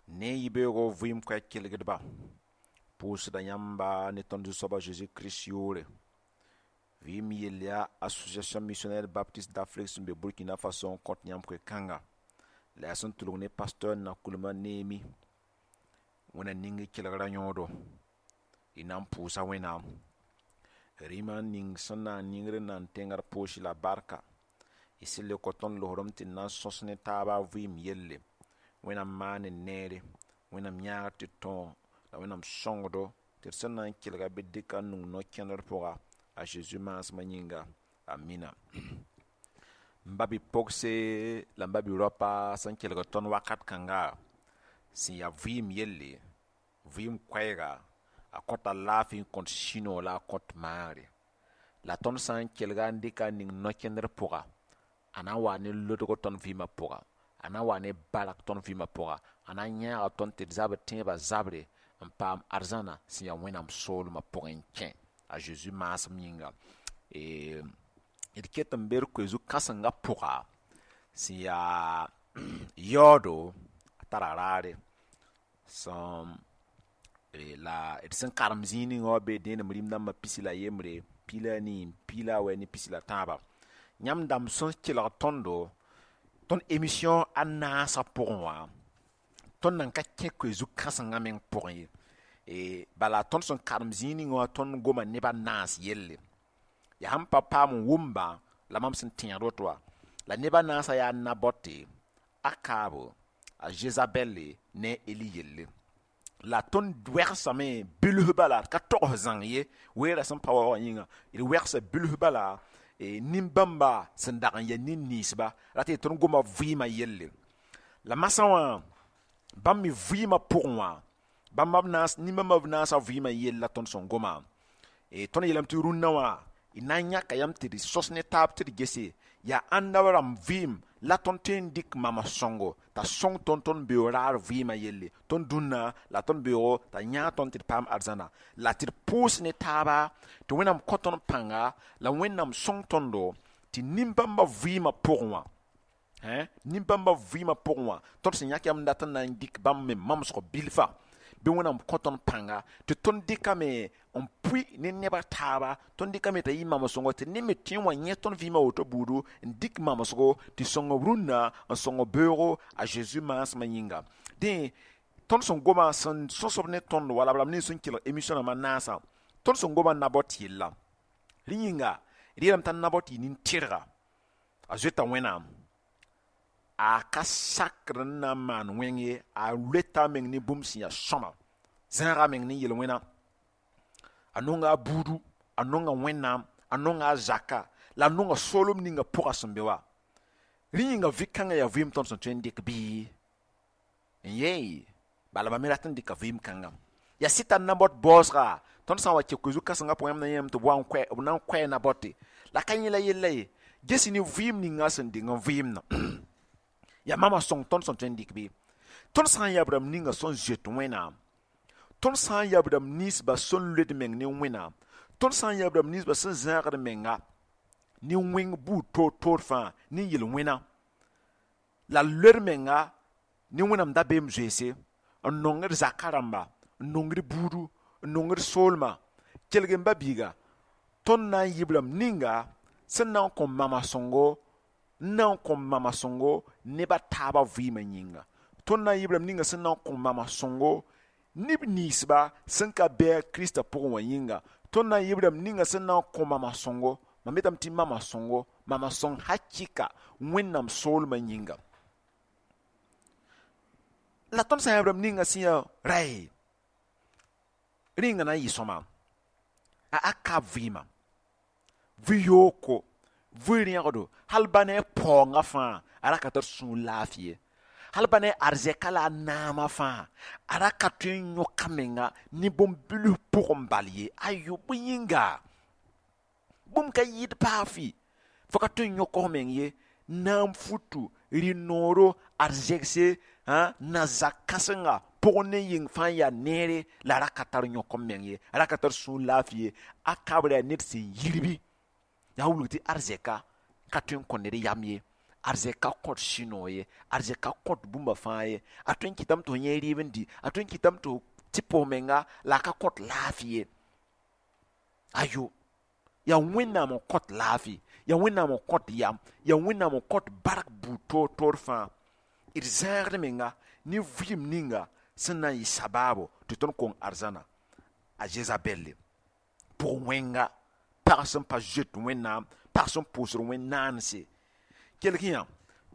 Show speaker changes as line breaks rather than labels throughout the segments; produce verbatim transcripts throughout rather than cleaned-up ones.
Ne yibeoogo vɩɩm koɛɛg kelgdba, pʋʋsda yãmba ne tõnd Zu-soaba Zeezi Kirist yʋʋre. Vɩɩm yell yaa Association Missionnaire Baptiste d'Afrique sẽn be Burkina Faso n kõt yãmb koe-kãnga la yaa sẽn tʋlg ne pasteur Nakulma Neemi. Wẽnna ning y kelgra yõodo, y na n pʋʋsa Wẽnnaam rĩmã ning sẽn na n ningr n na n tẽng d poosi la barka. Y sẽn le kõ tõnd losrem tɩ d na n sõs ne taaba vɩɩm yelle. Wẽnnaam maan n neere, Wẽnnaam yãagr tɩ tõog la Wẽnnaam sõngdo tɩ d sẽn na n kelga bɩ dɩka n nung no-kẽndr pʋga, a Zeezi maasmã yĩnga. Amina. M ba bi-pogse la m ba bi-raopa sẽn kelg tõnd wakat kãnga sẽn yaa vɩɩm yelle, vɩɩm koɛɛga, a kõta laafɩ n kõt sũ-noog la a kõt maagre. La tõnd sã n kelga n dɩka n ning no-kẽndr pʋga, a na n waa ne lodg tõnd vɩɩmã pʋga, a na n waa ne bark tõnd vɩɩmã pʋga, a na n yãaga tõnd tɩ d zabr tẽebã zabre n paam arzãna sẽn yaa Wẽnnaam soolmã pʋgẽ n kẽ, a Zeezi maasem yĩnga. D ket n be d koe zu-kãsengã pʋga sẽn yaa yaoodo, a tara raare sẽn la d sẽn karem zĩig ninga wã bee dẽenem rĩm dãmbã pisi la yembre, piig la a nii, piig la a wɛ ne pisi la tãaba. Yãmb dãmb sẽn kelg tõndo tõnd émission a naasã pʋgẽ wã, tõnd nan ka kẽ koe zu-kãsengã meng pʋgẽ ye. Bala tõnd sẽn karem zĩig ninga wã, tõnd goma neb a naas yelle. Yaa sẽn pa paam n wʋmba la mam sẽn tẽegd woto wã. La neb a naasã yaa Nabɔte, Akaabo, a Zezabɛle ne a Eli yelle. La tõnd wɛgsame bilf bala, d ka togs zãng ye, weerã sẽn pa wa wã yĩnga, d wɛgsa bilf bala nin-bãmba sẽn dag n yaa nin-ninsba rat tɩ tõnd goma vɩɩmã yelle. La masã wã, bãmb me vɩɩmã pʋgẽ wã, bãmba b naas, nin-bãmba b naasã vɩɩmã yell la tõnd sẽn goma. Tõnd yeelame tɩ rũnnã wã d na n yãka yãmb tɩ d sõs ne taab tɩ d gese yaa ãnda rãmb vɩɩm la tõnd tõe n dɩk mama sõngo t'a sõng tõnd tõnd beoog raar vɩɩmã yelle, tõnd dũnna la tõnd beoogo t'a yãag tõnd tɩ d paam arzãna, la tɩ d pʋʋs ne taaba tɩ Wẽnnaam kõ tõnd pãnga la Wẽnnaam sõng tõndo tɩ nin-bãmba vɩɩmã pʋgẽ wã, nin-bãmba vɩɩmã pʋgẽ wã, tõnd sẽn yãk yãmb n dat n na n dɩk bãmb me mamsg bilfa, bɩ Wẽnnaam kõ tõnd pãnga tɩ tõnd dɩkame n pʋɩ ne neb a taaba, tõnd dɩkame t'a yɩ mamsgo tɩ ned me tõe n wa yẽ tõnd vɩɩmã woto buudu n dɩk mamsgo tɩ sõng b rũnnã n sõng beoogo, a Zeezi maasmã yĩnga. Dẽ tõnd sẽn goma sẽn sõsb ne tõnd wala b rãmb nins sẽn kelg émission rãmbã naasã, tõnd sẽn goma Nabɔt yella. Rẽ yĩnga d yeelame t'a Nabɔt yɩ nin-tɩrga, a zoeta Wẽnnaam, a ka sakr n na n maan wẽng ye, a loeta a meng ne bũmb sẽn yaa sõma, zãaga a meng ne yel-wẽna, a nonga a buudu, a nonga Wẽnnaam, a nonga a zaka la a nonga soolem ninga pʋga sẽn be wa. Rẽ yĩnga vɩ-kãngã yaa vɩɩm tõnd sẽn tõe n dɩk bɩ n yee, bala mam me rat n dɩka vɩɩm kãngã. Yaa sɩta Nabɔt baoosga, tõnd sã n wa kẽ koe-zu-kãsengã pʋgẽ, yãmb na yãame tɩ b wa n koɛ, b na n koɛɛ Nabɔte la ka yẽ la yella ye. Ges ne vɩɩm ninga sẽn deng n vɩɩmdã yaa mama sõng tõnd sẽn tõe n dɩk bɩ. Tõnd sã n yaa b rãmb ninga sẽn zoet Wẽnnaam, tõnd sã n yaa b rãmb ninsba sẽn loed meng ne Wẽnnaam, tõnd sã n yaa b rãmb ninsba sẽn zãagd menga ne wẽng buud toor-toor fãa ne yel-wẽna la loed menga ne Wẽnnaam dabeem zoeese, n nongd zaka rãmba, n nongd buudu, n nongd soolmã, kelg n ba biiga, tõnd na n yɩ b rãmb ninga sẽn na n kõ mama sõngo, n na n kõ mama sõngo neb a taaba vɩɩmã yĩnga. Tõnd na n yɩ b rãmb ninga sẽn na n kõ mama sõngo neb ninsba sẽn ka bɩ a Kiristã pʋgẽ wã yĩnga. Tõnd na n yɩ b rãmb ninga sẽn na n kõ mama sõngo, mam yetame tɩ mama sõngo, mama sõng hakɩka Wẽnnaam soolmã yĩnga. La tõnd sã n yaa b rãmb ninga sẽn yaa ray, rẽnga na n yɩ sõma a Akab vɩɩmã, vɩ-yooko, vɩ-rẽgdo, hal ba ne a paoongã fãa a ra ka tar sũur laafɩ ye, hal ba ne a arzɛka la a naamã fãa a ra ka tõe n yõk a menga ne bũmb-bilf pʋgẽ bal ye. Ayo, bõe yĩnga bũmb ka yɩɩd baa fɩ, fo ka tõe n yõk f meng ye, naam futu, rɩ-nooro, arzɛgse, na-zak kãsenga pʋgẽ ne yĩng fãa yaa neere la a ra ka tar yõk m meng ye, a ra ka tar sũur laafɩ ye. Akab ra yaa ned sẽn yirbi, yaa wilg tɩ arzɛka ka tõe n kõ ned yam ye. Arzɛk ka kõt sũ-noog ye, arzɛk ka kõt bũmba fãa ye. A tõe n kɩtame tɩ f yẽ rɩɩb n dɩ, a tõe n kɩtame tɩ f tɩ pʋs menga la a ka kõt laafɩ ye. Ayo, yaa Wẽnnaam n kõt laafɩ, yaa Wẽnnaam n kõt yam, yaa Wẽnnaam n kõt bark buud toor toor fãa. D zãagd menga ne vɩɩm ninga sẽn na n yɩ sabaabo tɩ tõnd kong arzãna. A Zezabɛlle pʋg wẽnga, pag sẽn pa zoet Wẽnnaam, pag sẽn pʋʋsd wẽn-naanse. Kelg yã,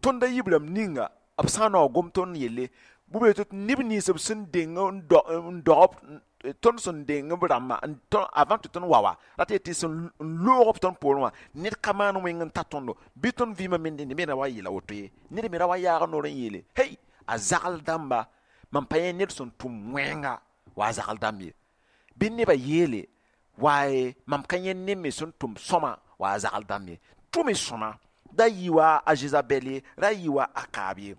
tõnd a yiib rãmb ninga b sã n naoog gom tõnd yelle, bʋ tɩ neb nins b sẽn deng n dog tõnd sẽn deng b rãmbã avant tɩ tõnd wa wa rat tɩ sẽn loog b tõnd poorẽ wã, ned ka maan wẽng n ta tõndo bɩ tõnd vɩɩmã me dẽnd me ra wa yeela woto ye. Ned me ra wa yaag noor n yeele hey, a zagl dãmba, mam pa yẽ ned sẽn tʋm wẽnga wa a zagl dãmb ye. Bɩ nebã yeele waaye mam ka yẽ ned me sẽn tʋm sõma wa a zagl dãmb ye. Tʋm y sõma, da yɩ wa a Zezabɛl ye, ra yɩ wa a Akaab ye,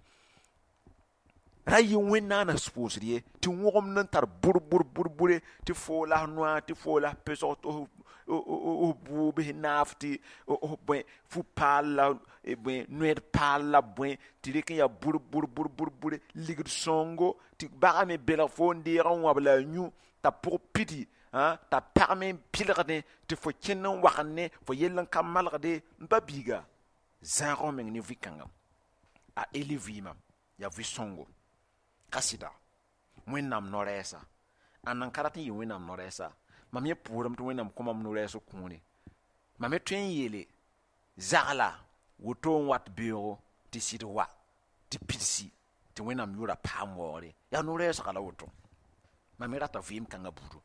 ra yɩ wẽn-naana pʋʋsd ye, tɩ wõgemd n tar bʋr bʋr bʋr bʋre, tɩ foo la f noa, tɩ foo la f pesg, tɩ f bʋʋb naaf, tɩ bõe fu-paal la bõe noɛd paal la bõe, tɩ rɩk n yaa bʋr bʋr bʋr bʋr bʋre, ligd sõngo, tɩ bagã me belg fo n deeg n wãb la a yũ t'a pʋg pidi, t'a pagme n pɩlgdẽ, tɩ fo kẽnd n wagende, fo yell n ka malgde. N ba biiga, zãag f meng ne vɩ-kãnga. A Eli vɩɩmã yaa vɩ-sõngo ka sɩda Wẽnnaam no-rɛɛsa. Ãnna n ka rat n yɩ Wẽnnaam no-rɛɛsa? Mam yẽ pʋʋrame tɩ Wẽnnaam kõ mam no-rɛɛs kũune. Mam me tõe n yeele zagla woto n wat beoogo tɩ sɩd wa tɩ pidsi tɩ Wẽnnaam yʋʋra paam waoogre. Yaa no-rɛɛsga la woto. Mam me rata vɩɩm kãngã buudu.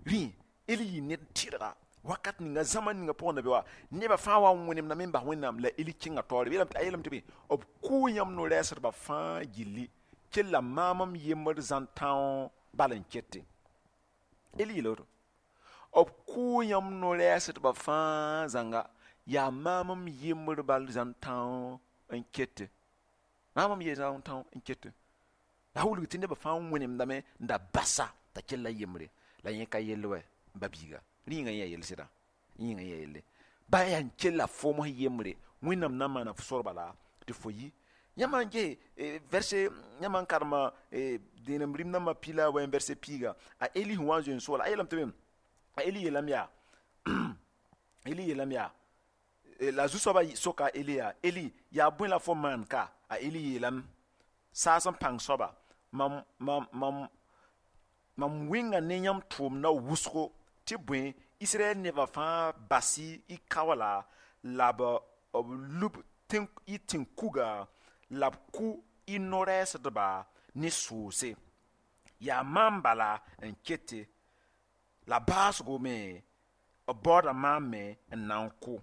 Rẽ Eli yɩ ned tɩrga wakat ninga zãma ninga pʋgẽ na be wa nebã fãa wa n wẽnemdame n bas Wẽnnaam la Eli kẽnga taoore. A yeelame tɩ bẽ b kʋʋ yãmb no-rɛɛsdbã fãa gilli, kella maam m yembd zãn-tão bal n kete. Eli yeela woto, b kʋʋ yãmb no-rɛɛsdbã fãa zãnga, yaa maam m yembd bal zãn-tão n kete, maam m ye zãn-tão n kete. La wilg tɩ nebã fãa wẽnemdame n da basa t'a kell yembre la yẽ ka yell wɛ. N ba biiga, rĩnga yẽ yaa yell sɩda, yĩnga yẽ yaa yelle ba yaa n kella foom sẽn yembre. Wẽnnaam na n maana f sorba la tɩ fo yi. Yãmb n ges verset, yãmb n karema dẽenem rĩm nambã pila wa verset piiga, a Eli sẽn wa n zoe n sooola, a yeelame tɩ bẽ a Eli yeelame yaa Eli yeelame yaa la zu-soabã soka a Eli yaa: Eli, yaa bõe la fo maan ka? A Eli yeelame: saas n pãng soaba, mam mam mam mam wẽnga ne yãmb tʋʋmdã wʋsgo, tɩ bõe Israɛl nebã fãa bas-y y kaoola la b lub y tẽn-kuga la b kʋ y no-rɛɛsdba ne soose. Yaa maam bala n kete, la baasgo me b baooda maam me n na n kʋ.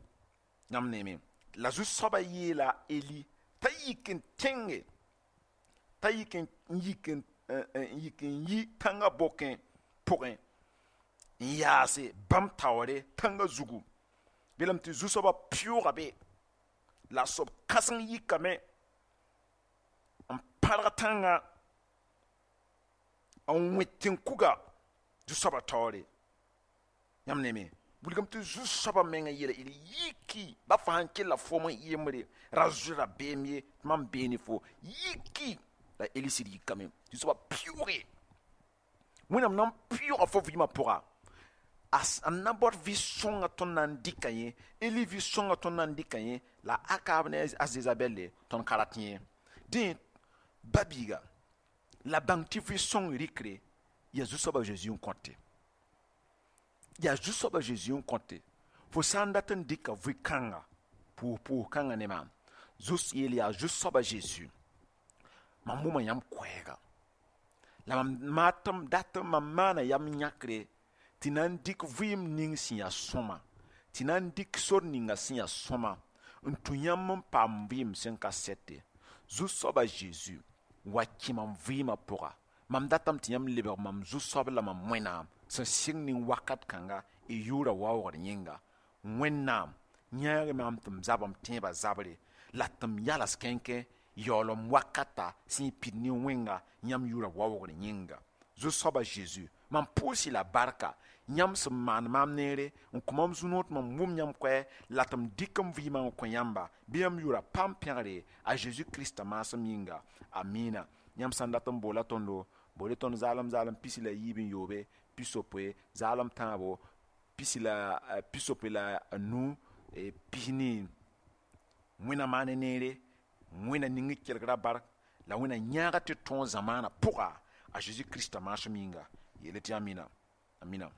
Yãmb neeme, la zu-soabã yeela Eli t'a yik n tẽnge, t'a yik n yik n yik n yi tãngã bokẽ pʋgẽ n yaase bãmb taoore tãngã zugu. Belame tɩ zu-soabã pɩʋʋga be la soab kãseng yikame n pãrg tãngã n wẽ tẽn-kuga zu-soabã taoore. Yãmb neeme, wilgame tɩ zu-soabã menga yeela Eli: yiki ba fo sãn kella foom n yembre, ra zoe rabeem ye, tɩ mam bee ne fo, yiki. La Eli sɩd yikame, tɩ soabã pɩʋʋge. Wẽnnaam na n pɩʋʋga fo vɩɩmã pʋga, a na baood vɩ-sõngã tõnd na n dɩka yẽ. Eli vɩ-sõngã tõnd na n dɩka yẽ, la Akaab ne a Zezabɛlle tõnd ka rat yẽ. Dẽ ba biiga, la bãng tɩ vɩ-sõng rɩkre yaa zu-soabã Zeezi n kõte, yaa zu-soabã Zeezi n kõte. Fo sã n dat n dɩka vɩ-kãnga pʋʋs-pʋʋs kãngã ne maam, zus yeel yaa zu-soabã Zeezi, mam wʋma yãmb koɛɛga la mam maatm dat mam maana yam yãkre tɩ na n dɩk vɩɩm ning sẽn yaa sõma, tɩ na n dɩk sor ninga sẽn yaa sõma n tũ yãmb n paam vɩɩm sẽn ka sɛte. Zu-soabã Zeezi wa kẽ mam vɩɩmã pʋga, mam datame tɩ yãmb lebg mam zu-soab la mam Wẽnnaam sẽn sɩng ning wakat kãnga y yʋʋra waoogd yẽnga. Wẽnnaam yãag maam tɩ m zab m tẽebã zabre la tɩ m yals kẽnkẽ yaool m wakata sẽn pid ne wẽnga yãmb yʋʋra waoogd yẽnga. Zu-soabã Zeezi, Mam pʋʋs-y la barka yãmb sẽn maan maam neere n kõ mam zu-noor tɩ mam wʋm yãmb koɛɛ la tɩ m dɩk m vɩɩmã n kõ yãmba bɩ yãmb yʋra paam pẽgre a zeezi krista maasem yĩnga amina yãmb sã n dat n boola tõndo bool tõnd zaalem zaalem pisi la yiib n yoobe pisopoe zaalem tãabo pisi la pisopoe la nu pisni wẽnna maane neere wẽnna ning kelgra bark la wẽnna yãaga tɩ tõog zamaanã pʋga a zeezi krista maasem yĩnga yeele tɩ amina amina.